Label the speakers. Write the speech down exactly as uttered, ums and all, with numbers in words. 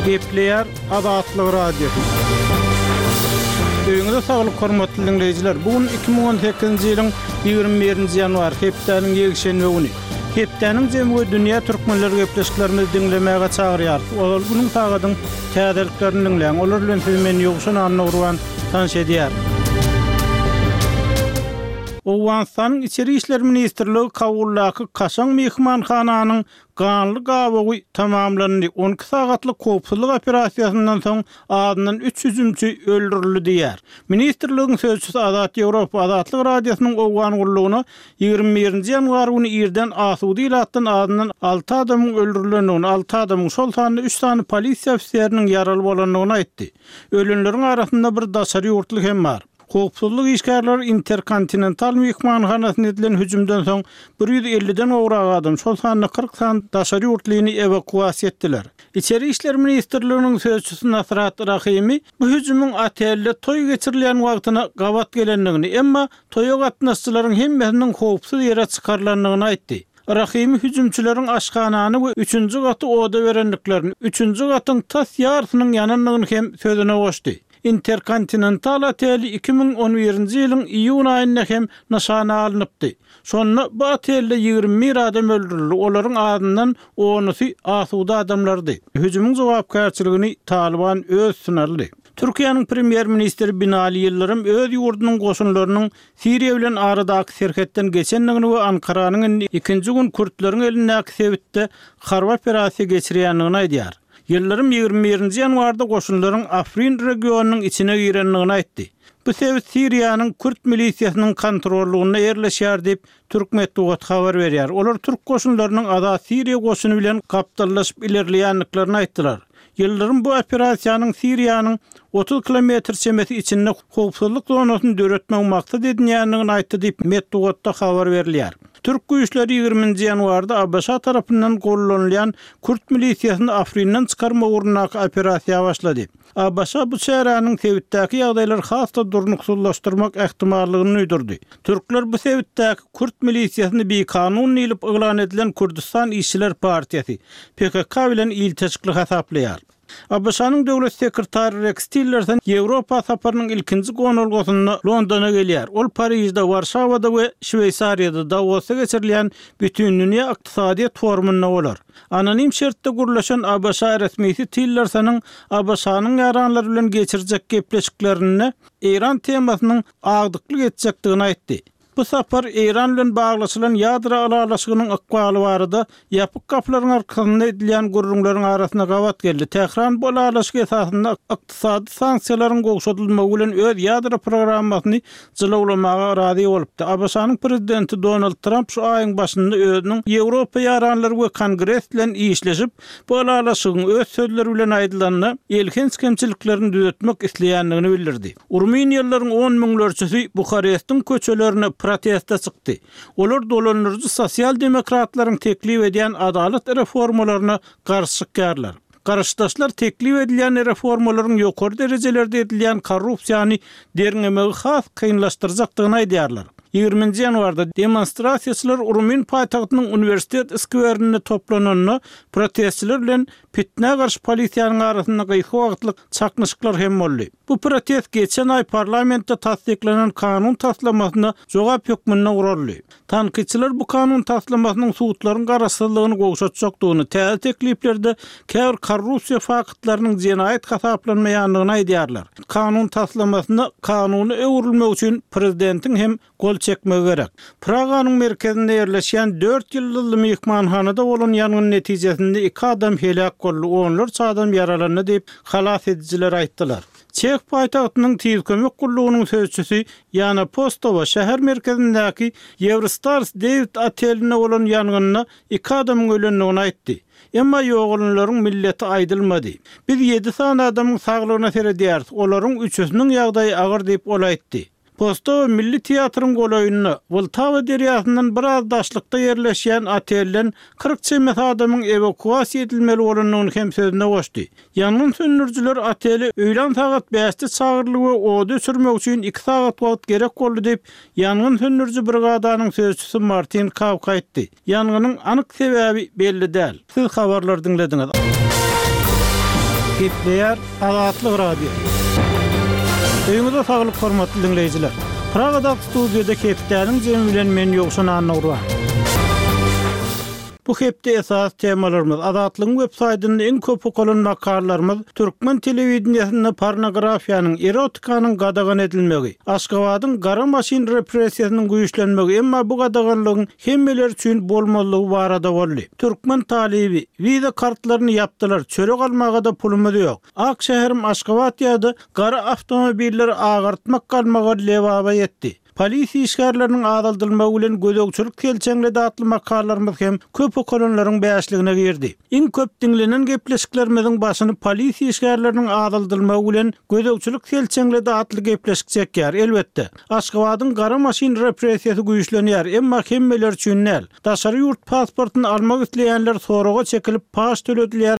Speaker 1: Gepleýär Azatlyk Radiosy. Öýüňize saglyk hormatly dinleýjiler. Bu gün iki müň on sekizinji ýylyň ýigrimi birinji ýanwary, hepdäniň ýekşenbe güni. Hepdäniň jemi we dünýä türkmenleri gepleşiklerimizi diňlemäge çagyrýarys. Ozal günüň sagadyň täzeliklerini diňläň. Olar bilen sizi men Ýowşan Annagurban tanyş edýär. Owganystanyň Içeri işler ministrligi Kabuldaky kaşaň myhmanhananyň ganly gabawy tamamlandy. On iki sagatlyk howpsuzlyk operasiýasyndan soň azyndan üç hüjümçi öldürildi diýýär. Ministrligiň sözçüsi Azat Ýewropa Azatlyk Radiosynyň Owgan gullugyna ýigrimi birinji ýanwar güni irden asuda ilatdan azyndan alty adamyň öldürilendigini, alty adamyň, şol sanda üç sany polisiýa ofiseriniň ýaraly bolandygyny aýtdy. Ölenleriň arasynda bir daşary ýurtly hem bar. Howpsuzlyk işgärleri Interkontinental myhmanhanasyna edilen hüjümden soň bir ýüz elliden gowrak adam, şol sanda kyrk sany daşary ýurtlyny ewakuasiýa etdiler. Içeri işler ministrliginiň sözçüsi Nasrat Rahimi bu hüjümiň otelde toý geçirilýän wagtyna gabat gelendigini, emma toýa gatnaşyjylaryň hemmesiniň howpsuz ýere çykarylandygyny aýtdy. Rahimi hüjümçileriň aşhanany we üçünji gaty oda berendiklerini, üçünji gatyň tas ýarysynyň ýanandygyny hem sözüne goşdy. Interkontinental oteli iki müň on birinji ýylyň iýun aýynda hem nyşana alnypdy. Şonda bu otelde ýigrimi bir adam öldürildi, olaryň azyndan onusy asuda adamlardy. Hüjümiň jogapkärçiligini Talyban öz üstüne aldy. Türkiýäniň premýer-ministri Binali Ýyldyrym öz ýurdunyň goşunlarynyň Siriýa bilen aradaky serhetden geçendigini we Ankaranyň indi ikinji gün kürtleriň elindäki sebitde harby operasiýa geçirýändigini aýdýar. Ýyldyrym ýigrimi birinji ýanwarda goşunlaryň Afrin regionynyň içine girendigini aýtdy. Bu sebit Siriýanyň kürt milisiýasynyň kontrollygynda ýerleşýär diýip, türk metbugaty habar berýär. Olar türk goşunlarynyň Azat Siriýa goşuny bilen gapdallaşyp ilerleýändiklerini aýtdylar. Ýyldyrym bu operasiýanyň Siriýanyň otuz kilometr çemesi içinde howpsuzlyk zonasyny döretmek maksat edinýändigini aýtdy diýip, metbugatda habar berilýär. Türk güýçleri ýigriminji ýanwarda A B Ş tarapyndan gollanylýan kürt milisiýasyny Afrinden çykarmak ugrundaky operasiýa başlady. A B Ş bu çäräniň sebitdäki ýagdaýlary has-da durnuksyzlaşdyrmak ähtimallygyny duýdurdy. Türkler bu sebitdäki kürt milisiýasyny bikanun diýlip yglan edilen Kürdistan Işçiler Partiýasy P K K bilen ilteşikli hasaplaýar. A B Ş-nyň döwlet sekretary Rex Tillerson Ýewropa saparynyň ilkinji gonalgasynda Londona gelýär. Ol Parižde, Warşawada we Şweýsariýada Davosda geçirilýän Bütindünýä ykdysadyýet forumynda bolar. Anonim şertde gürleşen A B Ş resmisi Tillersonyň A B Ş-nyň ýaranlary bilen geçirjek gepleşiklerinde Eýran temasynyň agdyklyk etjekdigini aýtdy. Bu sapar Eýran bilen baglaşylan ýadro ylalaşygynyň ykbaly barada ýapyk gapylaryň arkasynda edilýän gürrüňleriň arasynda gabat geldi. Tähran bu ylalaşyk esasynda ykdysady sanksiýalaryň gowşadylmagy bilen öz ýadro programmasyny jylawlamaga razy bolupdy. A B Ş-nyň prezidenti Donald Trump şu aýyň başynda özüniň Ýewropa ýaranlary we Kongres bilen işleşip, bu ylalaşygyň öz sözleri bilen aýdylanda elhenç kemçiliklerini düzetmek isleýändigini bildirdi. Rumyniýalylaryň on müňlerçesi Buharestiň köçelerine proteste çykdy. Olar dolandyryjy sosial demokratlaryň teklip edýän adalat reformalaryna garşy çykýarlar. Garşydaşlar teklip edilýän reformalaryň ýokary derejelerde edilýän korrupsiýany derňemegi has kynlaşdyrjakdygyny aýdýarlar. Ýigriminji ýanwarda demonstrasiýaçylar Rumyn paýtagtynyň uniwersitet skwerinde toplananda protestçiler bilen pitnä garşy polisiýanyň arasynda gysga wagtlyk çaknyşyklar hem boldy. Bu protest geçen aý parlamentde tassyklanan kanun taslamasyna jogap hökmünde guraldy. Tankytçylar bu kanun taslamasynyň sudlaryň garaşsyzlygyny gowşatjakdygyny, täze tekliplerde käbir korrupsiýa faktlarynyň jenaýat hasaplanmaýandygyny aýdýarlar. Kanun taslamasyna kanuny öwrülmek üçin prezidentiň hem gol çekmegi gerek. Praganyň merkezinde ýerleşýän dört ýyldyzly myhmanhanada bolan ýangyn netijesinde iki adam heläk boldy, onlarça adam ýaralandy diýip halas edijiler aýtdylar. Çeh paýtagtynyň tiz kömek gullugynyň sözçüsi Ýana Postowa şäher merkezindäki Eurostars David otelinde bolan ýangynda iki adamyň ölendigini aýtdy. Emma ýogalanlaryň milleti aýdylmady. Biz ýedi sany adamyň saglygyna seredýäris, olaryň üçüsiniň ýagdaýy agyr diýip ol aýtdy. Postowa Milli teatryň golaýynda Wltawa derýasyndan biraz daşlykda ýerleşýän otelden kyrk çemesi adamyň ewakuasiýa edilmeli bolandygyny hem sözüne goşdy. Ýangyn söndürijiler otele öýlän sagat bäşde çagyryldy we ody öçürmek üçin iki sagat wagt gerek boldy diýip, ýangyn söndüriji brigadanyň sözçüsi Martin Kawk aýtdy. Ýangynyň anyk sebäbi belli däl. Siz habarlar diňlediňiz. Gepleýär Azatlyk Radiosy. Öýüňize saglyk hormatly diňleýjiler. Pragadaky studiýada hepdäniň jemi bilen men Ýowşan Annagurban. Bu hepde esas temalarymyz Azatlygyň web saýtynda iň köp okalan makalalarymyz türkmen telewideniýesinde pornografiýanyň, erotikanyň gadagan edilmegi, Aşgabadyň gara maşyn repressiýasynyň güýçlenmegi, emma bu gadaganlygyň hemmeler üçin bolmazlygy barada boldy. Türkmen talyby wiza kartlaryny ýapdylar, çörek almaga-da pulumyz ýok. Ak şäherim Aşgabat ýa-da gara awtomobilleri agartmak galmagal Lebaba ýetdi. Polisiýa işgärleriniň azaldylmagy bilen gözegçilik selçeňledi atly makalalarymyz hem köp okalanlaryň bäşligine girdi. Iň köp diňlenen gepleşiklerimiziň başyny polisiýa işgärleriniň azaldylmagy bilen gözegçilik selçeňledi atly gepleşik çekýär. Elbetde, Aşgabadyň gara maşyn repressiýasy güýçlenýär, emma hemmeler üçin däl. Daşary ýurt pasportyny almak isleýänler soraga çekilip paç töledilýär.